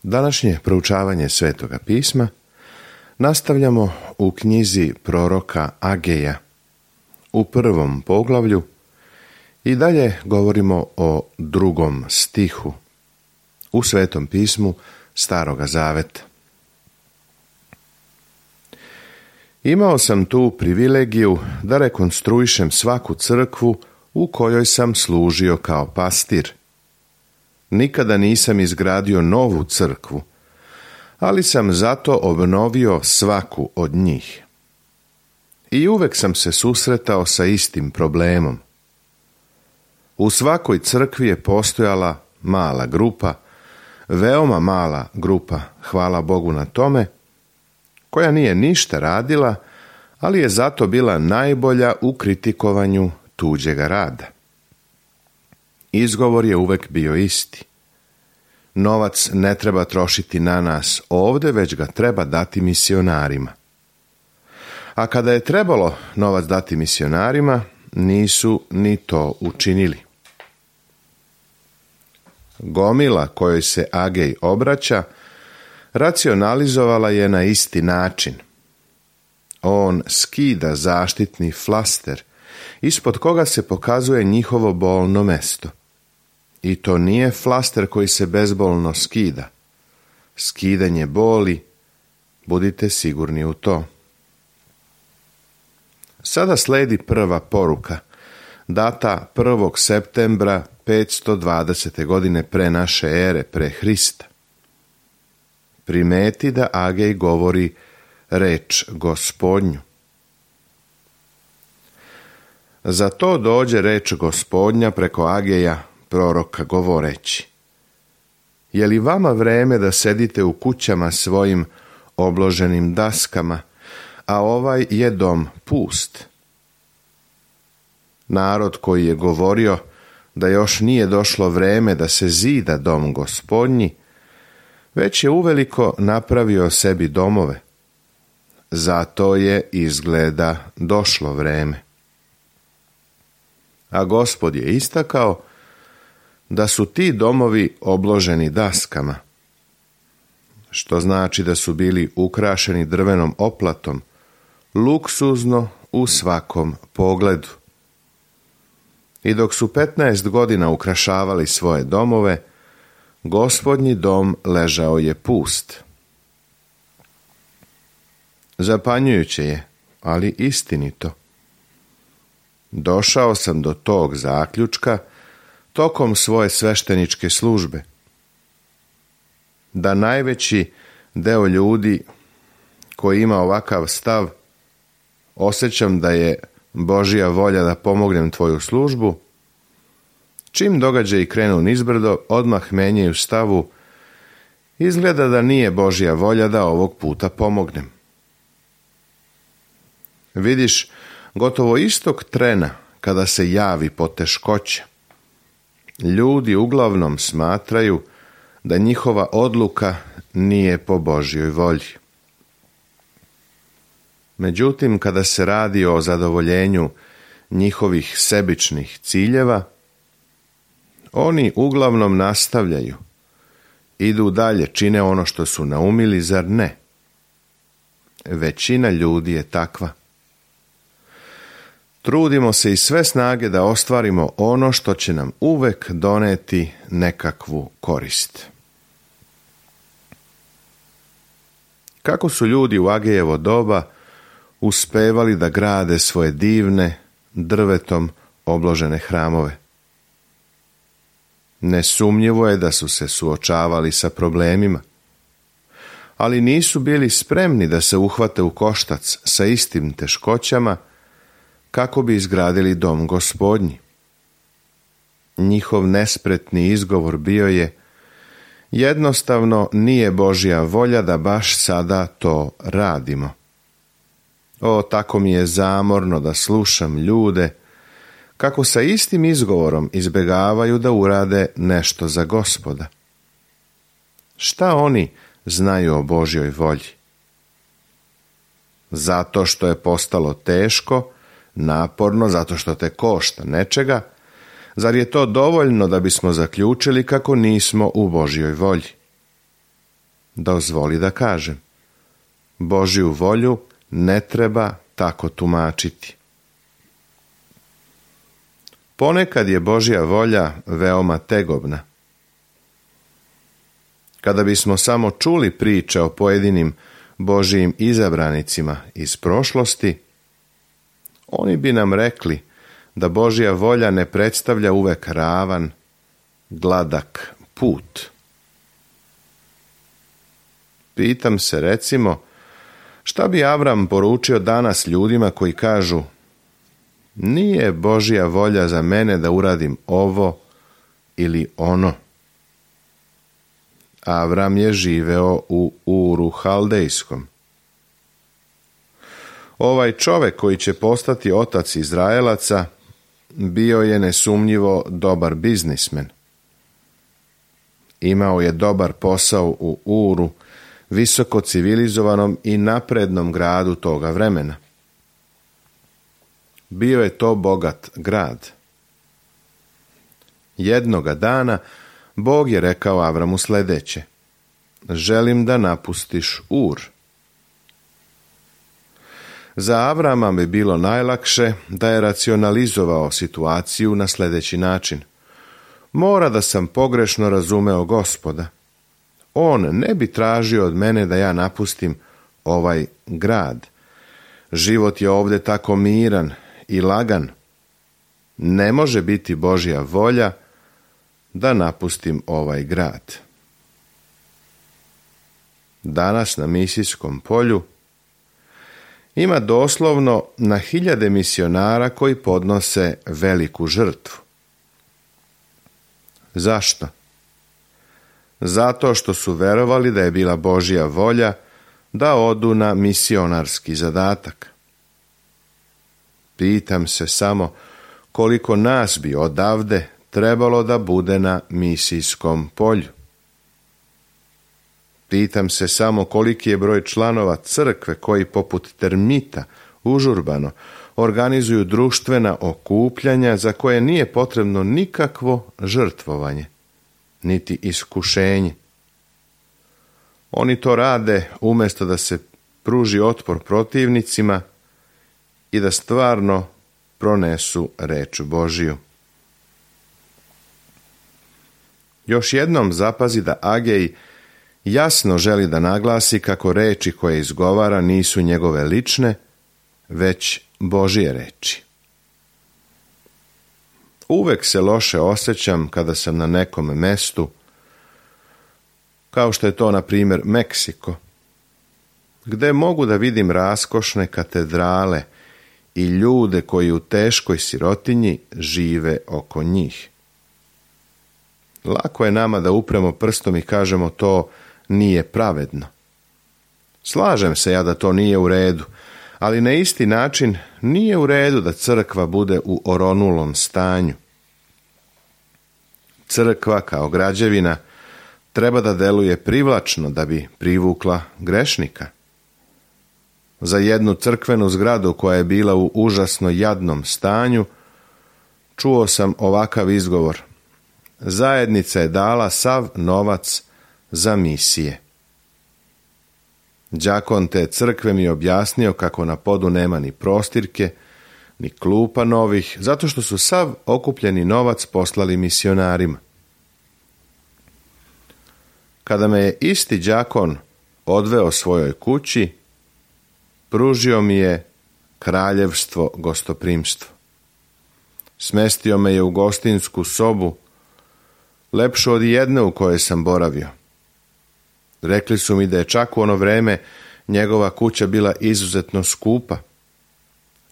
Današnje proučavanje Svetoga pisma nastavljamo u knjizi proroka Ageja u 1. poglavlju i dalje govorimo o 2. stihu u Svetom pismu Staroga Zaveta. Imao sam tu privilegiju da rekonstruišem svaku crkvu u kojoj sam služio kao pastir. Nikada nisam izgradio novu crkvu, ali sam zato obnovio svaku od njih. I uvek sam se susretao sa istim problemom. U svakoj crkvi je postojala mala grupa, veoma mala grupa, hvala Bogu na tome, koja nije ništa radila, ali je zato bila najbolja u kritikovanju tuđega rada. Izgovor je uvek bio isti. Novac ne treba trošiti na nas ovde, već ga treba dati misionarima. A kada je trebalo novac dati misionarima, nisu ni to učinili. Gomila kojoj se Agej obraća racionalizovala je na isti način. On skida zaštitni flaster, ispod koga se pokazuje njihovo bolno mesto. I to nije flaster koji se bezbolno skida. Skidanje boli, budite sigurni u to. Sada sledi prva poruka, data 1. septembra 520. godine pre naše ere, pre Hrista. Primeti da Agej govori reč Gospodnju. Za to dođe reč Gospodnja preko Ageja, proroka, govoreći: Je li vama vreme da sedite u kućama svojim obloženim daskama, a ovaj je dom pust? Narod koji je govorio da još nije došlo vreme da se zida dom Gospodnji, već je uveliko napravio sebi domove. Zato je izgleda došlo vreme. A Gospod je istakao da su ti domovi obloženi daskama, što znači da su bili ukrašeni drvenom oplatom, luksuzno u svakom pogledu. I dok su 15 godina ukrašavali svoje domove, Gospodnji dom ležao je pust. Zapanjujuće je, ali istinito. Došao sam do tog zaključka tokom svoje svešteničke službe, da najveći deo ljudi koji ima ovakav stav, osjećam da je Božja volja da pomognem tvoju službu, čim događaji krenu nizbrdo, odmah menjaju stavu, izgleda da nije Božja volja da ovog puta pomognem. Vidiš, gotovo istog trena kada se javi poteškoća, ljudi uglavnom smatraju da njihova odluka nije po Božjoj volji. Međutim, kada se radi o zadovoljenju njihovih sebičnih ciljeva, oni uglavnom nastavljaju, idu dalje, čine ono što su naumili, zar ne? Većina ljudi je takva. Trudimo se iz sve snage da ostvarimo ono što će nam uvek doneti nekakvu korist. Kako su ljudi u Agejevo doba uspevali da grade svoje divne, drvetom obložene hramove? Nesumnjivo je da su se suočavali sa problemima, ali nisu bili spremni da se uhvate u koštac sa istim teškoćama kako bi izgradili dom Gospodnji. Njihov nespretni izgovor bio je: jednostavno nije Božja volja da baš sada to radimo. O, tako mi je zamorno da slušam ljude kako sa istim izgovorom izbegavaju da urade nešto za Gospoda. Šta oni znaju o Božjoj volji? Zato što je postalo teško, naporno, zato što te košta nečega, zar je to dovoljno da bismo zaključili kako nismo u Božjoj volji? dozvoli da kažem. Božju volju ne treba tako tumačiti. Ponekad je Božja volja veoma tegobna. Kada bismo samo čuli priče o pojedinim Božjim izabranicima iz prošlosti, oni bi nam rekli da Božja volja ne predstavlja uvek ravan, gladak put. Pitam se, recimo, šta bi Avram poručio danas ljudima koji kažu: nije Božja volja za mene da uradim ovo ili ono. Avram je živeo u Uru Haldejskom. Ovaj čovek koji će postati otac Izraelaca bio je nesumnjivo dobar biznismen. Imao je dobar posao u Uru, visoko civilizovanom i naprednom gradu toga vremena. Bio je to bogat grad. Jednoga dana Bog je rekao Avramu sljedeće: želim da napustiš Ur. Za Avrama bi bilo najlakše da je racionalizovao situaciju na sljedeći način: mora da sam pogrešno razumeo Gospoda. On ne bi tražio od mene da ja napustim ovaj grad. Život je ovdje tako miran i lagan. Ne može biti Božja volja da napustim ovaj grad. Danas na misijskom polju ima doslovno na hiljade misionara koji podnose veliku žrtvu. Zašto? Zato što su verovali da je bila Božja volja da odu na misionarski zadatak. Pitam se samo koliko nas bi odavde trebalo da bude na misijskom polju. Pitam se samo koliki je broj članova crkve koji poput termita užurbano organizuju društvena okupljanja za koje nije potrebno nikakvo žrtvovanje, niti iskušenje. Oni to rade umjesto da se pruži otpor protivnicima i da stvarno pronesu reč Božiju. Još jednom zapazi da Agej jasno želi da naglasi kako reči koje izgovara nisu njegove lične, već Božje reči. Uvek se loše osjećam kada sam na nekom mestu, kao što je to, na primjer, Meksiko, gde mogu da vidim raskošne katedrale i ljude koji u teškoj sirotinji žive oko njih. Lako je nama da upremo prstom i kažemo to nije pravedno. Slažem se ja da to nije u redu, ali na isti način nije u redu da crkva bude u oronulom stanju. Crkva kao građevina treba da deluje privlačno da bi privukla grešnika. Za jednu crkvenu zgradu koja je bila u užasno jadnom stanju, čuo sam ovakav izgovor: zajednica je dala sav novac za misije. Đakon te crkve mi je objasnio kako na podu nema ni prostirke, ni klupa novih, zato što su sav okupljeni novac poslali misionarima. Kada me je isti đakon odveo svojoj kući, pružio mi je kraljevstvo gostoprimstvo. Smestio me je u gostinsku sobu, lepšu od jedne u kojoj sam boravio. Rekli su mi da je čak u ono vreme njegova kuća bila izuzetno skupa.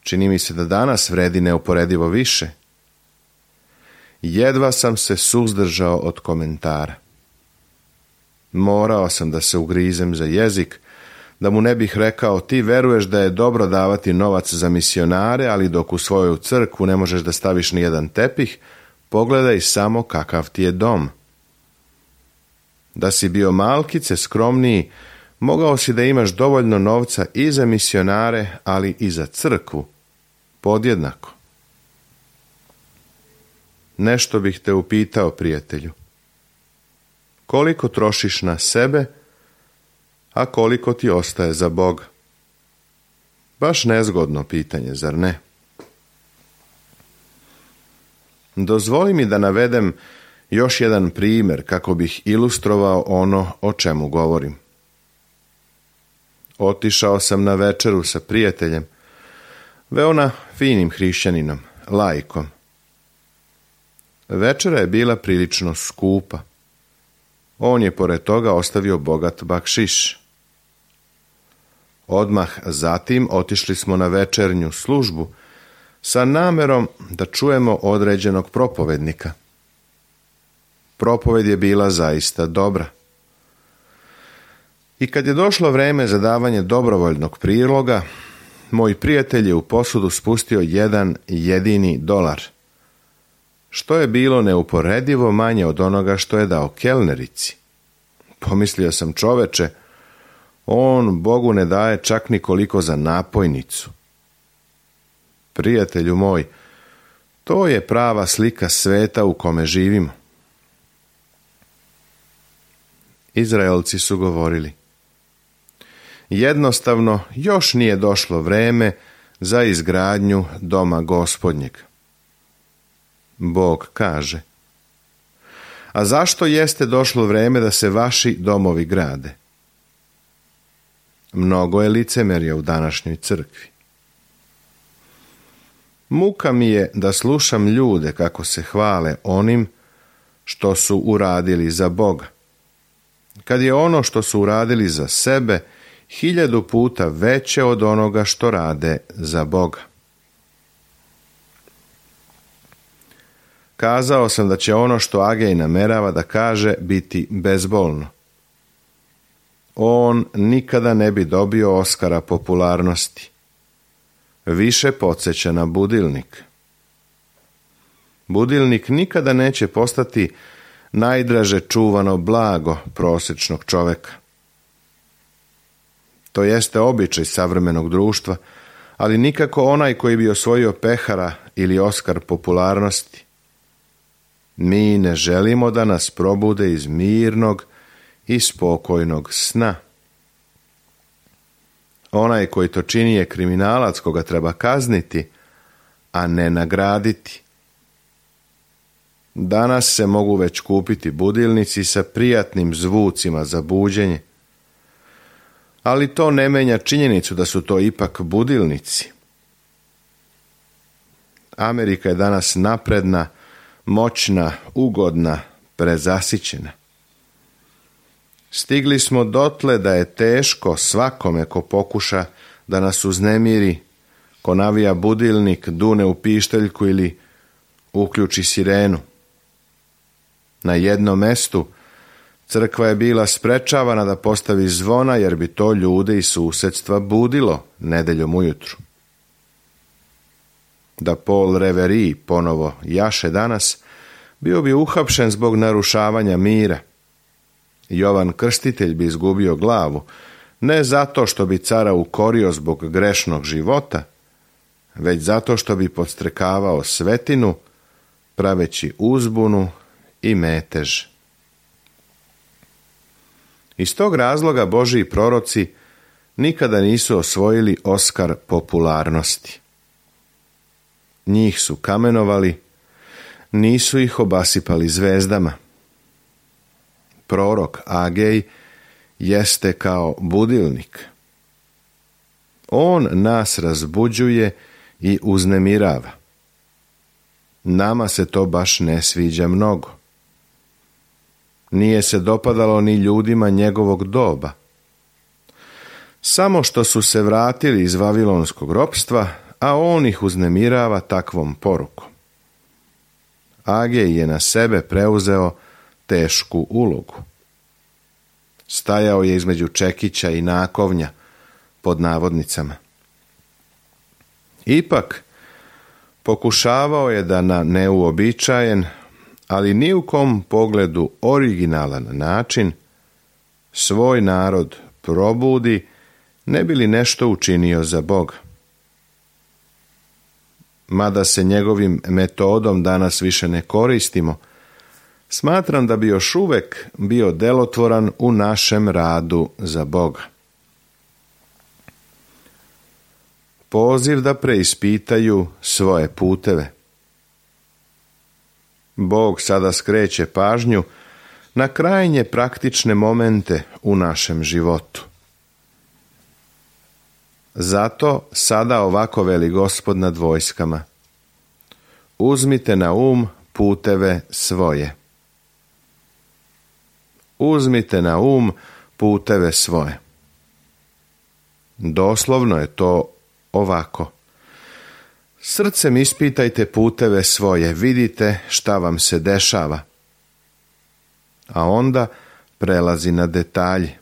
Čini mi se da danas vredi neuporedivo više. Jedva sam se suzdržao od komentara. Morao sam da se ugrizem za jezik, da mu ne bih rekao: ti veruješ da je dobro davati novac za misionare, ali dok u svoju crkvu ne možeš da staviš ni jedan tepih, pogledaj samo kakav ti je dom. Da si bio malkice skromniji, mogao si da imaš dovoljno novca i za misionare, ali i za crkvu, podjednako. Nešto bih te upitao, prijatelju. Koliko trošiš na sebe a koliko ti ostaje za Boga? Baš nezgodno pitanje, zar ne? Dozvoli mi da navedem još jedan primjer kako bih ilustrovao ono o čemu govorim. Otišao sam na večeru sa prijateljem, veoma finim hrišćaninom, laikom. Večera je bila prilično skupa. On je pored toga ostavio bogat bakšiš. Odmah zatim otišli smo na večernju službu sa namerom da čujemo određenog propovednika. Propoved je bila zaista dobra. I kad je došlo vreme za davanje dobrovoljnog priloga, moj prijatelj je u posudu spustio $1 što je bilo neuporedivo manje od onoga što je dao kelnerici. Pomislio sam, čoveče, on Bogu ne daje čak ni koliko za napojnicu. Prijatelju moj, to je prava slika sveta u kome živimo. Izraelci su govorili: jednostavno još nije došlo vreme za izgradnju doma Gospodnjeg. Bog kaže: a zašto jeste došlo vreme da se vaši domovi grade? Mnogo je licemerja u današnjoj crkvi. Muka mi je da slušam ljude kako se hvale onim što su uradili za Boga, kad je ono što su uradili za sebe 1000 puta veće od onoga što rade za Boga. Kazao sam da će ono što Agej namerava da kaže biti bezbolno. On nikada ne bi dobio Oskara popularnosti. Više podsjeća na budilnik. Budilnik nikada neće postati najdraže čuvano blago prosječnog čoveka. To jeste običaj savremenog društva, ali nikako onaj koji bi osvojio pehara ili Oskar popularnosti. Mi ne želimo da nas probude iz mirnog i spokojnog sna. Onaj koji to čini je kriminalac koga treba kazniti, a ne nagraditi. Danas se mogu već kupiti budilnici sa prijatnim zvucima za buđenje, ali to ne menja činjenicu da su to ipak budilnici. Amerika je danas napredna, moćna, ugodna, prezasićena. Stigli smo dotle da je teško svakome ko pokuša da nas uznemiri, ko navija budilnik, dune u pišteljku ili uključi sirenu. Na jednom mestu crkva je bila sprečavana da postavi zvona jer bi to ljude iz susjedstva budilo nedeljom ujutru. Da Paul Reveri ponovo jaše danas, bio bi uhapšen zbog narušavanja mira. Jovan Krstitelj bi izgubio glavu, ne zato što bi cara ukorio zbog grešnog života, već zato što bi podstrekavao svetinu, praveći uzbunu i metež. Iz tog razloga Božji proroci nikada nisu osvojili Oskar popularnosti. Njih su kamenovali, nisu ih obasipali zvezdama. Prorok Agej jeste kao budilnik. On nas razbuđuje i uznemirava. Nama se to baš ne sviđa mnogo. Nije se dopadalo ni ljudima njegovog doba. Samo što su se vratili iz vavilonskog ropstva, a on ih uznemirava takvom porukom. Agej je na sebe preuzeo tešku ulogu. Stajao je između čekića i nakovnja, pod navodnicama. Ipak, pokušavao je da na neuobičajen, ali ni u kom pogledu originalan način, svoj narod probudi, ne bi li nešto učinio za Boga. Mada se njegovim metodom danas više ne koristimo, smatram da bi još uvek bio delotvoran u našem radu za Boga. Poziv da preispitaju svoje puteve. Bog sada skreće pažnju na krajnje praktične momente u našem životu. Zato sada ovako veli Gospod nad vojskama: uzmite na puteve svoje. Uzmite na puteve svoje. Doslovno je to ovako: srcem ispitajte puteve svoje, vidite šta vam se dešava. A onda prelazi na detalje.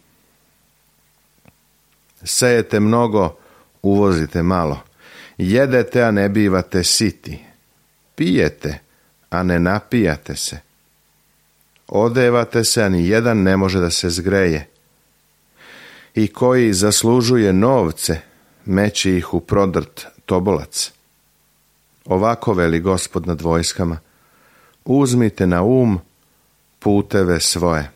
Sejete mnogo, uvozite malo. Jedete, a ne bivate siti. Pijete, a ne napijate se. Odevate se, a ni jedan ne može da se zgreje. I koji zaslužuje novce, meće ih u prodrt tobolac. Ovako veli Gospod nad vojskama: uzmite na puteve svoje.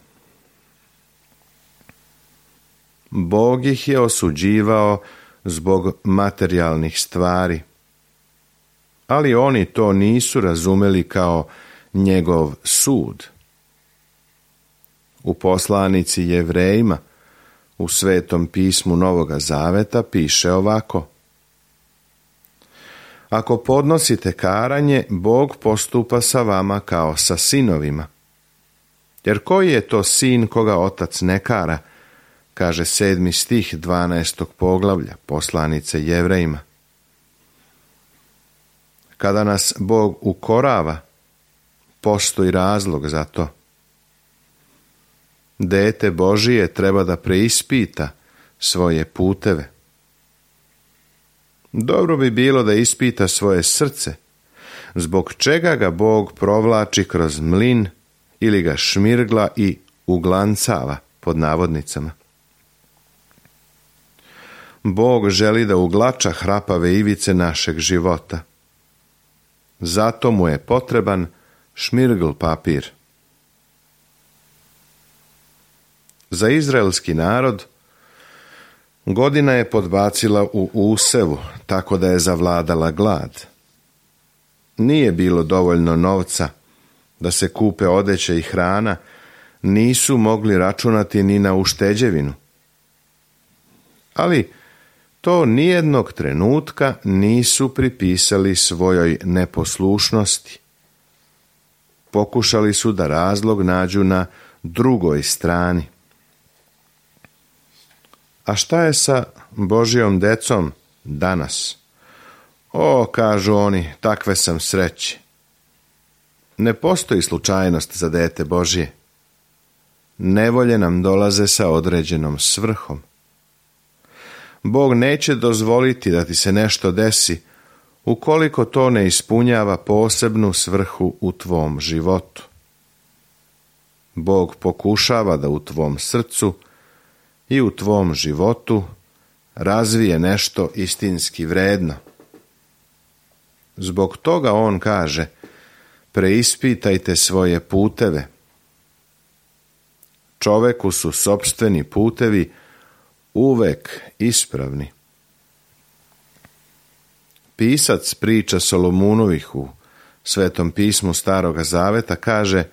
Bog ih je osuđivao zbog materijalnih stvari, ali oni to nisu razumeli kao njegov sud. U poslanici Jevrejima u Svetom pismu Novoga Zaveta piše ovako: ako podnosite karanje, Bog postupa sa vama kao sa sinovima. Jer koji je to sin koga otac ne kara, kaže 7. stih 12. poglavlja poslanice Jevrejima. Kada nas Bog ukorava, postoji razlog za to. Dete Božije treba da preispita svoje puteve. Dobro bi bilo da ispita svoje srce, zbog čega ga Bog provlači kroz mlin ili ga šmirgla i uglancava, pod navodnicama. Bog želi da uglača hrapave ivice našeg života. Zato mu je potreban šmirgl papir. Za izraelski narod godina je podbacila u usevu, tako da je zavladala glad. Nije bilo dovoljno novca da se kupe odeća i hrana, nisu mogli računati ni na ušteđevinu. Ali to nijednog trenutka nisu pripisali svojoj neposlušnosti. Pokušali su da razlog nađu na drugoj strani. A šta je sa Božjom decom danas? O, kažu oni, takve sam sreće. Ne postoji slučajnost za dete Božje. Nevolje nam dolaze sa određenom svrhom. Bog neće dozvoliti da ti se nešto desi ukoliko to ne ispunjava posebnu svrhu u tvom životu. Bog pokušava da u tvom srcu i u tvom životu razvije nešto istinski vredno. Zbog toga on kaže: preispitajte svoje puteve. Čoveku su sopstveni putevi uvek ispravni. Pisac priča Solomunovih u Svetom pismu Staroga Zaveta kaže: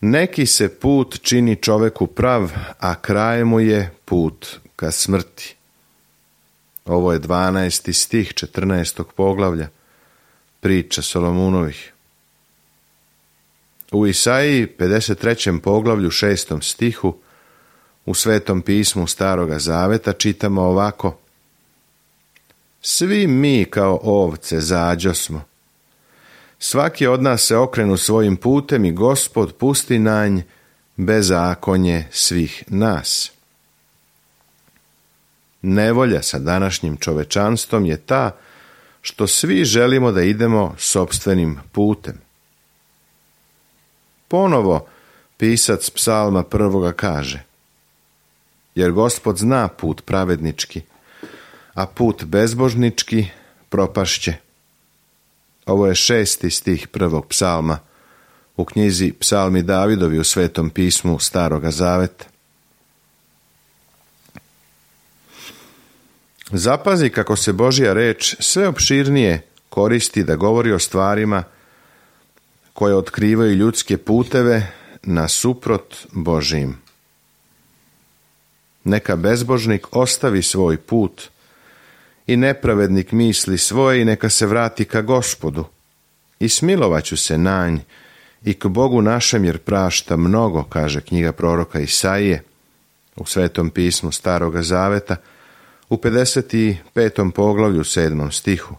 neki se put čini čoveku prav, a kraj mu je put ka smrti. Ovo je 12. stih 14. poglavlja priča Solomunovih. U Isaiji 53. poglavlju 6. stihu u Svetom pismu Staroga Zaveta čitamo ovako: svi mi kao ovce zađosmo. Svaki od nas se okrenu svojim putem i Gospod pusti na nj bezakonje svih nas. Nevolja sa današnjim čovečanstvom je ta što svi želimo da idemo sopstvenim putem. Ponovo pisac psalma 1. kaže: jer Gospod zna put pravednički, a put bezbožnički propašće. Ovo je 6. stih 1. psalma u knjizi Psalmi Davidovi u Svetom pismu Staroga Zaveta. Zapazi kako se Božja reč sve opširnije koristi da govori o stvarima koje otkrivaju ljudske puteve nasuprot Božijim. Neka bezbožnik ostavi svoj put i nepravednik misli svoje i neka se vrati ka Gospodu. I smilovaću se na nj i k Bogu našem jer prašta mnogo, kaže knjiga proroka Isaije u Svetom pismu Staroga Zaveta u 55. poglavlju 7. stihu.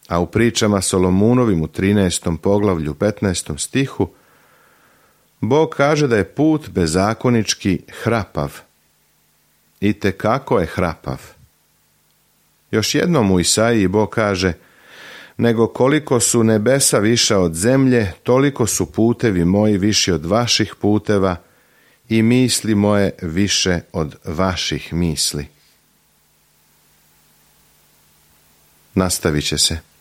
A u pričama Solomunovim u 13. poglavlju 15. stihu Bog kaže da je put bezakonički hrapav. I tekako je hrapav. Još jednom u Isaiji Bog kaže: nego koliko su nebesa viša od zemlje, toliko su putevi moji viši od vaših puteva i misli moje više od vaših misli. Nastavit će se.